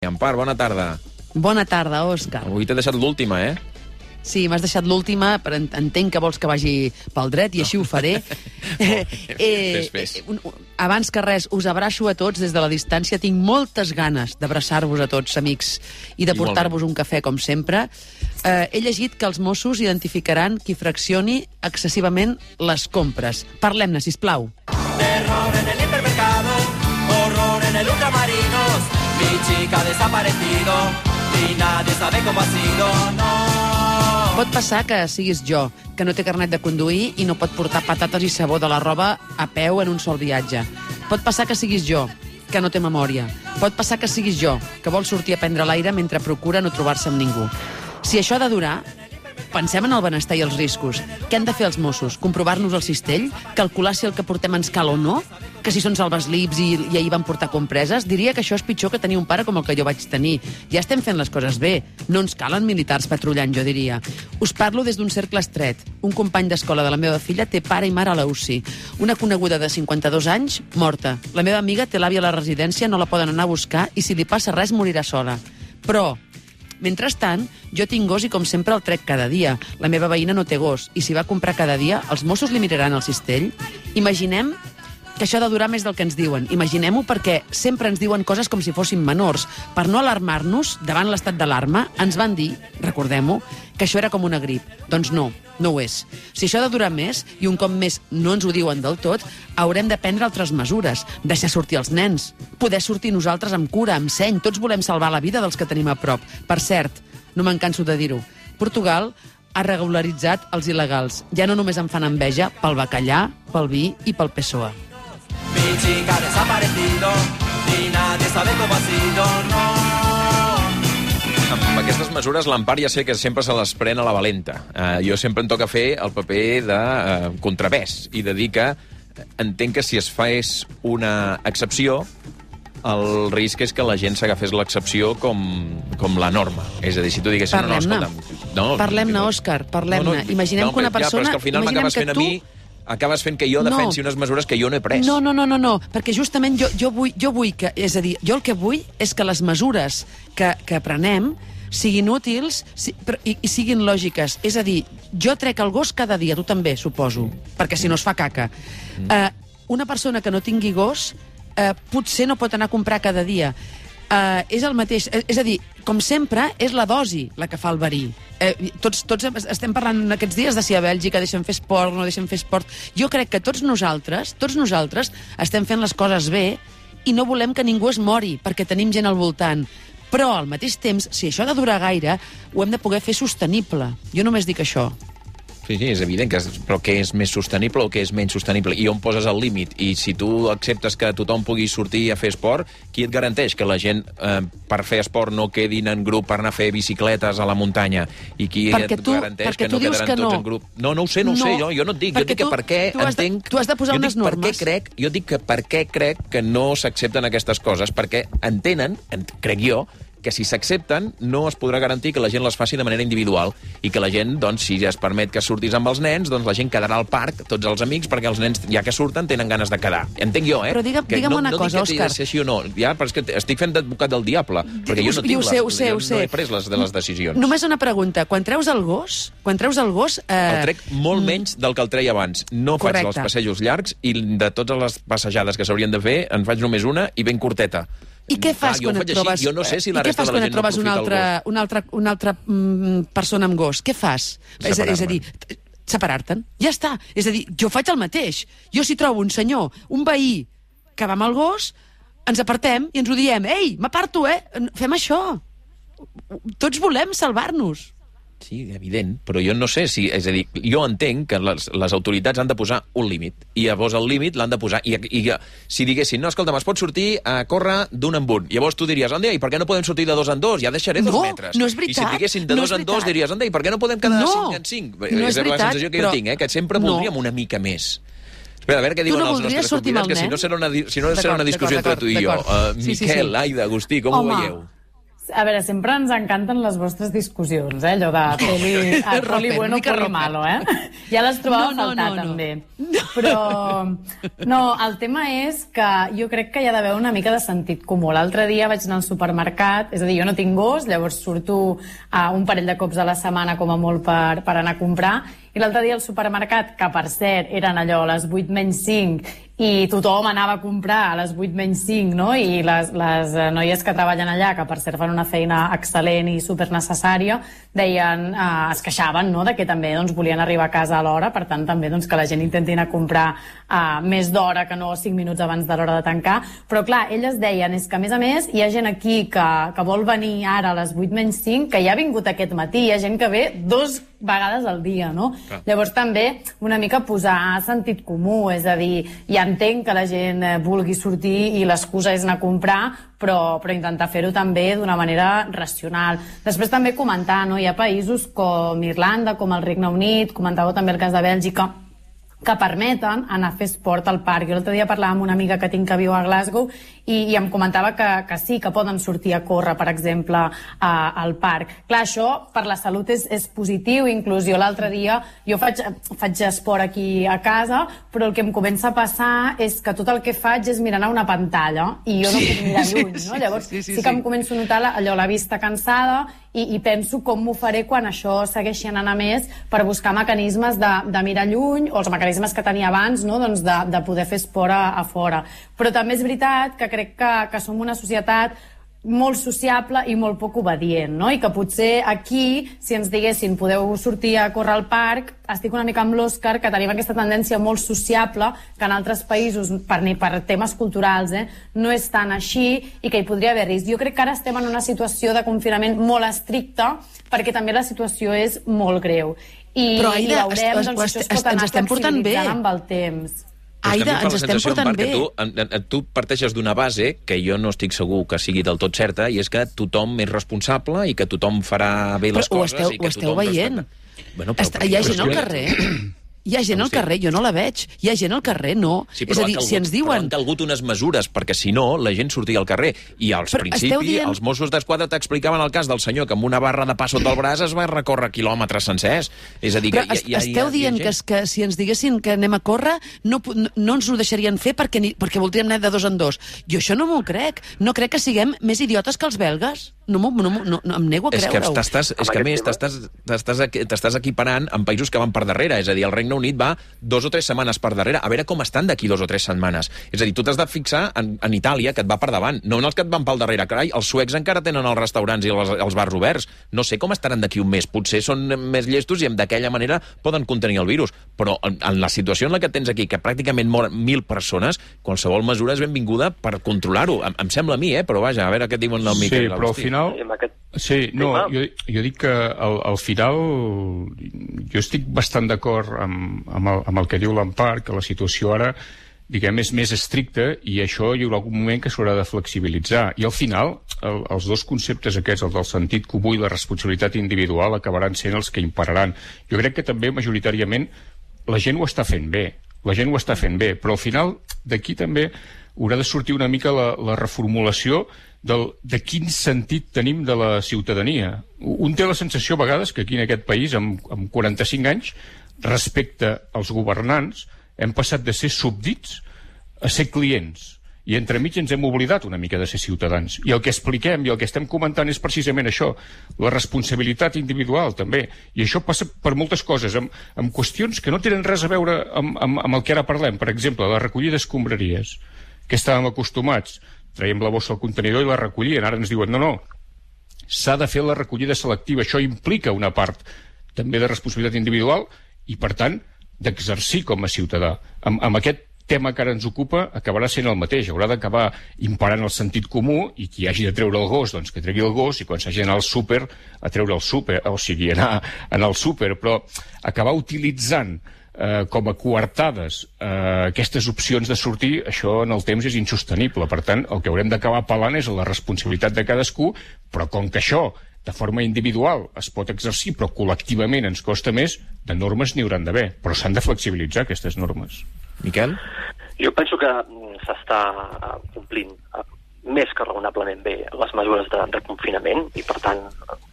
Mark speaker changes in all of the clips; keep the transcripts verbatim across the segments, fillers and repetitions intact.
Speaker 1: Empar, bona tarda.
Speaker 2: Bona tarda, Òscar.
Speaker 1: Avui t'he deixat l'última, eh?
Speaker 2: Sí, m'has deixat l'última, però entenc que vols que vagi pel dret i així ho faré. eh,
Speaker 1: fes, fes.
Speaker 2: Eh, abans que res, us abraço a tots des de la distància. Tinc moltes ganes d'abraçar-vos a tots, amics, i de portar-vos un cafè, com sempre. Eh, he llegit que els Mossos identificaran qui fraccioni excessivament les compres. Parlem-ne, sisplau.
Speaker 3: Terror en el hipermercado, horror en el ultramarinos. Mi chica ha desaparecido y nadie sabe cómo ha sido, no.
Speaker 2: Pot passar que siguis jo, que no té carnet de conduir i no pot portar patates i sabó de la roba a peu en un sol viatge. Pot passar que siguis jo, que no té memòria. Pot passar que siguis jo, que vol sortir a prendre l'aire mentre procura no trobar-se amb ningú. Si això ha de durar, pensem en el benestar i els riscos. Què han de fer els Mossos? Comprovar-nos el cistell? Calcular si el que portem ens cal o no? Que si són salvaslips i, i ahir van portar compreses? Diria que això és pitjor que tenir un pare com el que jo vaig tenir. Ja estem fent les coses bé. No ens calen militars patrullant, jo diria. Us parlo des d'un cercle estret. Un company d'escola de la meva filla té pare i mare a la U C I. Una coneguda de cinquanta-dos anys, morta. La meva amiga té l'àvia a la residència, no la poden anar a buscar i si li passa res morirà sola. Però mentrestant, jo tinc gos i com sempre el trec cada dia. La meva veïna no té gos i si va comprar cada dia, els Mossos li miraran el cistell? Imaginem que això ha de durar més del que ens diuen. Imaginem-ho perquè sempre ens diuen coses com si fóssim menors. Per no alarmar-nos davant l'estat d'alarma, ens van dir, recordem-ho, que això era com una grip. Doncs no, no ho és. Si això ha de durar més, i un cop més no ens ho diuen del tot, haurem de prendre altres mesures. Deixar sortir els nens. Poder sortir nosaltres amb cura, amb seny. Tots volem salvar la vida dels que tenim a prop. Per cert, no me'n canso de dir-ho, Portugal ha regularitzat els il·legals. Ja no només em fan enveja pel bacallà, pel vi i pel P S O E.
Speaker 3: Mi chica ha desaparecido y nadie sabe cómo ha sido, no.
Speaker 1: Amb aquestes mesures l'Empar ja sé que sempre se les pren a la valenta. Uh, jo sempre em toca fer el paper de uh, contrapès i de dir que entenc que si es fes una excepció, el risc és que la gent s'agafés l'excepció com, com la norma. És a dir, si tu diguessin...
Speaker 2: Parlem-ne,
Speaker 1: no, no, no,
Speaker 2: parlem-ne,
Speaker 1: no,
Speaker 2: Òscar, parlem-ne.
Speaker 1: No, no,
Speaker 2: imaginem
Speaker 1: no,
Speaker 2: que una persona...
Speaker 1: Ja, però és que al final m'acabes fent
Speaker 2: tu...
Speaker 1: a mi... acabes fent que jo defensi no. unes mesures que jo no he pres.
Speaker 2: No, no, no, no, no, perquè justament jo, jo, vull, jo vull que... És a dir, jo el que vull és que les mesures que, que prenem siguin útils si, però, i, i siguin lògiques. És a dir, jo trec el gos cada dia, tu també, suposo, mm. perquè si no es fa caca. Mm. Uh, una persona que no tingui gos uh, potser no pot anar a comprar cada dia. Uh, és el mateix, és a dir, com sempre, és la dosi la que fa el verí. Eh, tots, tots estem parlant aquests dies de si a Bèlgica deixen fer esport o no deixen fer esport. Jo crec que tots nosaltres, tots nosaltres estem fent les coses bé i no volem que ningú es mori perquè tenim gent al voltant. Però, al mateix temps, si això ha de durar gaire, ho hem de poder fer sostenible. Jo només dic això.
Speaker 1: Sí, sí, és evident, que és, però què és més sostenible o què és menys sostenible? I on poses el límit? I si tu acceptes que tothom pugui sortir a fer esport, qui et garanteix que la gent eh, per fer esport no quedin en grup per anar a fer bicicletes a la muntanya? I qui
Speaker 2: perquè
Speaker 1: et
Speaker 2: tu,
Speaker 1: garanteix que no
Speaker 2: quedaran
Speaker 1: que
Speaker 2: tots
Speaker 1: no.
Speaker 2: en
Speaker 1: grup? No, no ho sé, no, no ho sé, jo, jo no et dic. Jo dic que
Speaker 2: tu,
Speaker 1: per què
Speaker 2: tu has
Speaker 1: entenc...
Speaker 2: De, tu has de posar
Speaker 1: jo
Speaker 2: unes
Speaker 1: dic
Speaker 2: normes.
Speaker 1: Per què crec, jo dic que per què crec que no s'accepten aquestes coses, perquè entenen, crec jo, que si s'accepten no es podrà garantir que la gent les faci de manera individual i que la gent, doncs, si ja es permet que surtis amb els nens, doncs la gent quedarà al parc, tots els amics, perquè els nens, ja que surten, tenen ganes de quedar. Entenc jo, eh?
Speaker 2: Però digue'm,
Speaker 1: que
Speaker 2: digue'm
Speaker 1: no,
Speaker 2: una
Speaker 1: no
Speaker 2: cosa, Òscar.
Speaker 1: No dic que t'hi de ser així o no, ja, però és que estic fent d'advocat del diable, perquè jo no tinc
Speaker 2: ho sé,
Speaker 1: les,
Speaker 2: ho sé, ho sé.
Speaker 1: no he pres les, de les decisions.
Speaker 2: Només una pregunta. Quan treus el gos, quan treus el gos... Eh...
Speaker 1: El trec molt menys del que el treia abans. No
Speaker 2: Correcte.
Speaker 1: faig els passejos llargs i de totes les passejades que s'haurien de fer en faig només una i ben curteta.
Speaker 2: I què fas
Speaker 1: Clar,
Speaker 2: quan et trobes...
Speaker 1: Així. Jo no sé si la
Speaker 2: I què
Speaker 1: resta
Speaker 2: fas
Speaker 1: de la
Speaker 2: quan
Speaker 1: gent
Speaker 2: et trobes
Speaker 1: no
Speaker 2: una
Speaker 1: aprofita
Speaker 2: altra, una altra, una altra mm, persona amb gos? Què fas? És, és a dir, separar-te'n. Ja està. És a dir, jo faig el mateix. Jo si trobo un senyor, un veí, que va amb el gos, ens apartem i ens ho diem. Ei, m'aparto, eh? Fem això. Tots volem salvar-nos.
Speaker 1: Sí, evident, però jo no sé si... És a dir, jo entenc que les, les autoritats han de posar un límit, i llavors el límit l'han de posar. I, i si diguessin, no, escolta, es pot sortir a córrer d'un en un, llavors tu diries, anda, i per què no podem sortir de dos en dos? Ja deixaré dos
Speaker 2: no,
Speaker 1: metres.
Speaker 2: No, és veritat.
Speaker 1: I si diguessin de
Speaker 2: no
Speaker 1: dos en dos, diries, anda, i per què no podem quedar
Speaker 2: no,
Speaker 1: cinc en cinc?
Speaker 2: No és,
Speaker 1: és
Speaker 2: veritat,
Speaker 1: la sensació que
Speaker 2: però...
Speaker 1: jo tinc, eh? Que sempre voldríem no. una mica més. Espera, a veure què diuen
Speaker 2: no
Speaker 1: els nostres convidats, que si no serà una, si no serà una discussió entre tu i jo. Uh, Miquel, sí, sí, sí. Aida, Agustí, com
Speaker 4: Home.
Speaker 1: ho veieu?
Speaker 4: A veure, sempre ens encanten les vostres discussions, eh? Allò de peli, ah, poli bueno, poli malo, eh? Ja les trobava
Speaker 2: no, no,
Speaker 4: a faltar,
Speaker 2: no, no.
Speaker 4: també. Però, no, el tema és que jo crec que hi ha d'haver una mica de sentit comú. L'altre dia vaig anar al supermercat, és a dir, jo no tinc gos, llavors surto a un parell de cops a la setmana com a molt per, per anar a comprar, i l'altre dia al supermercat, que per cert eren allò a les vuit menys cinc, i tothom anava a comprar a les vuit menys cinc, no? I les, les noies que treballen allà, que per cert fan una feina excel·lent i supernecessària, deien, eh, es queixaven, no?, de que també doncs, volien arribar a casa a l'hora, per tant també doncs, que la gent intenti anar a comprar eh, més d'hora que no cinc minuts abans de l'hora de tancar. Però clar, elles deien, és que a més a més hi ha gent aquí que, que vol venir ara a les vuit menys cinc, que ja ha vingut aquest matí, hi ha gent que ve dos vegades al dia, no? Ah. Llavors també una mica posar sentit comú, és a dir, ja entenc que la gent vulgui sortir i l'excusa és anar a comprar, però, però intentar fer-ho també d'una manera racional. Després també comentar, no? Hi ha països com Irlanda, com el Regne Unit, comentàveu també el cas de Bèlgica, que permeten anar a fer esport al parc. Jo l'altre dia parlava amb una amiga que tinc que viu a Glasgow i, i em comentava que, que sí, que poden sortir a córrer, per exemple, a, al parc. Clar, això per la salut és, és positiu, inclús jo l'altre dia, jo faig, faig esport aquí a casa, però el que em comença a passar és que tot el que faig és mirar a una pantalla i jo no puc mirar lluny, no? Llavors sí, sí, sí, sí que em començo a notar allò, la vista cansada, i, i penso com m'ho faré quan això segueixi anant a més per buscar mecanismes de, de mirar lluny o els mecanismes que tenia abans, no? Doncs de, de poder fer esport a, a fora. Però també és veritat que crec que, que som una societat molt sociable i molt poc obedient, no? I que potser aquí, si ens diguessin podeu sortir a córrer al parc, estic una mica amb l'Òscar, que tenim aquesta tendència molt sociable, que en altres països, per, ni per temes culturals, eh, no és tan així i que hi podria haver risc. Jo crec que ara estem en una situació de confinament molt estricta perquè també la situació és molt greu. I,
Speaker 2: Però, Aida,
Speaker 4: i veurem
Speaker 2: es,
Speaker 4: doncs,
Speaker 2: es,
Speaker 4: si això es pot anar flexibilitzant amb el temps.
Speaker 2: Aida, ens estem portant bé.
Speaker 1: Tu, tu parteixes d'una base que jo no estic segur que sigui del tot certa, i és que tothom és responsable i que tothom farà bé les
Speaker 2: però
Speaker 1: coses.
Speaker 2: Ho esteu,
Speaker 1: i que
Speaker 2: ho esteu veient.
Speaker 1: Bueno, però,
Speaker 2: Està, hi ha gent al carrer... Hi ha gent al carrer, jo no la veig. Hi ha gent al carrer, no.
Speaker 1: Sí,
Speaker 2: és a dir,
Speaker 1: calgut,
Speaker 2: si ens diuen...
Speaker 1: han calgut unes mesures, perquè si no, la gent sortia al carrer. I al principi, dient... els Mossos d'Esquadra t'explicaven el cas del senyor que amb una barra de pa sota el braç es va recórrer quilòmetres sencers. És a dir,
Speaker 2: Però
Speaker 1: que hi, hi, hi,
Speaker 2: esteu
Speaker 1: hi ha,
Speaker 2: dient
Speaker 1: hi ha
Speaker 2: que, que si ens diguessin que anem a córrer no, no, no ens ho deixarien fer perquè, ni, perquè voldríem anar de dos en dos. Jo això no m'ho crec. No crec que siguem més idiotes que els belgues. No, no, no, no, no em nego a creure-ho.
Speaker 1: És que, estàs, és que a més t'estàs equiparant amb països que van per darrere. És a dir, el Regne Unit va dos o tres setmanes per darrere. A veure com estan d'aquí dos o tres setmanes. És a dir, tu t'has de fixar en, en Itàlia, que et va per davant, no en els que et van pel darrere. Carai, els suecs encara tenen els restaurants i els, els bars oberts. No sé com estaran d'aquí un mes. Potser són més llestos i d'aquella manera poden contenir el virus. Però en, en la situació en la que tens aquí, que pràcticament moren mil persones, qualsevol mesura és benvinguda per controlar-ho. Em, em sembla a mi, eh? Però vaja, a veure què diuen el Miquel.
Speaker 5: Sí, però al final... Sí, no, jo, jo dic que al, al final jo estic bastant d'acord amb, amb, el, amb el que diu l'Empar, que la situació ara, diguem, és més estricta i això hi haurà algun moment que s'haurà de flexibilitzar. I al final, el, els dos conceptes aquests, el del sentit comú i la responsabilitat individual, acabaran sent els que imperaran. Jo crec que també, majoritàriament, la gent ho està fent bé. La gent ho està fent bé, però al final d'aquí també haurà de sortir una mica la, la reformulació del, de quin sentit tenim de la ciutadania. Un té la sensació a vegades que aquí en aquest país, amb, amb quaranta-cinc anys, respecte als governants, hem passat de ser súbdits a ser clients. I entremig ens hem oblidat una mica de ser ciutadans. I el que expliquem i el que estem comentant és precisament això, la responsabilitat individual també. I això passa per moltes coses, amb, amb qüestions que no tenen res a veure amb, amb, amb el que ara parlem. Per exemple, la recollida d'escombraries, que estàvem acostumats. Traiem la bossa al contenidor i la recollien. Ara ens diuen, no, no, s'ha de fer la recollida selectiva. Això implica una part també de responsabilitat individual i, per tant, d'exercir com a ciutadà. Amb, amb aquest tema que ara ens ocupa acabarà sent el mateix. Haurà d'acabar imparant el sentit comú i qui hagi de treure el gos, doncs que tregui el gos, i quan s'hagi d'anar al súper, a treure el súper, o sigui, anar, anar al súper, però acabar utilitzant eh, com a coartades eh, aquestes opcions de sortir, això en el temps és insostenible. Per tant, el que haurem d'acabar apel·lant és a la responsabilitat de cadascú, però com que això de forma individual es pot exercir, però col·lectivament ens costa més, de normes n'hi hauran d'haver, però s'han de flexibilitzar aquestes normes.
Speaker 1: Miquel?
Speaker 6: Jo penso que s'està complint més que raonablement bé les mesures de, de confinament i, per tant,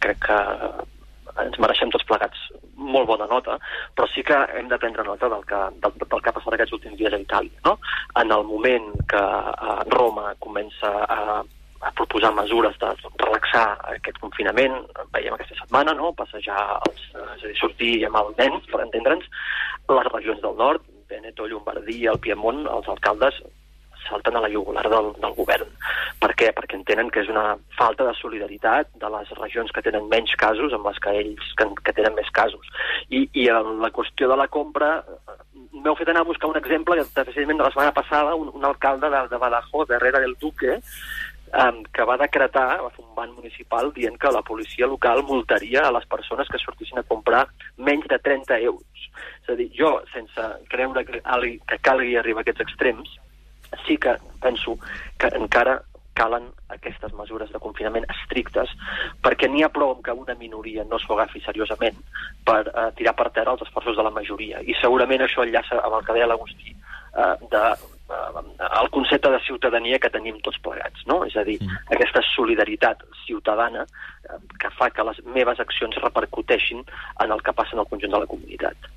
Speaker 6: crec que ens mereixem tots plegats molt bona nota, però sí que hem de prendre nota del que, del, del que ha passat aquests últims dies a Itàlia. No? En el moment que eh, Roma comença a, a proposar mesures de relaxar aquest confinament, veiem aquesta setmana, no? Passejar, els, és a dir, sortir amb els nens, per entendre'ns, les regions del nord, Veneto, Llombardia, el Piemont, els alcaldes salten a la jugular del, del govern. Per què? Perquè entenen que és una falta de solidaritat de les regions que tenen menys casos amb les que ells que, que tenen més casos. I, i en la qüestió de la compra m'heu fet anar a buscar un exemple que precisament de la setmana passada un, un alcalde de, de Badajoz, de Herrera del Duque, um, que va decretar, va fer un ban municipal dient que la policia local multaria a les persones que sortissin a comprar menys de trenta euros. És a dir, jo, sense creure que, que calgui arribar a aquests extrems, sí que penso que encara calen aquestes mesures de confinament estrictes, perquè n'hi ha prou que una minoria no s'ho agafi seriosament per eh, tirar per terra els esforços de la majoria. I segurament això enllaça amb el que deia l'Agustí, eh, de, eh, el concepte de ciutadania que tenim tots plegats, no? És a dir, mm. aquesta solidaritat ciutadana eh, que fa que les meves accions repercuteixin en el que passa en el conjunt de la comunitat.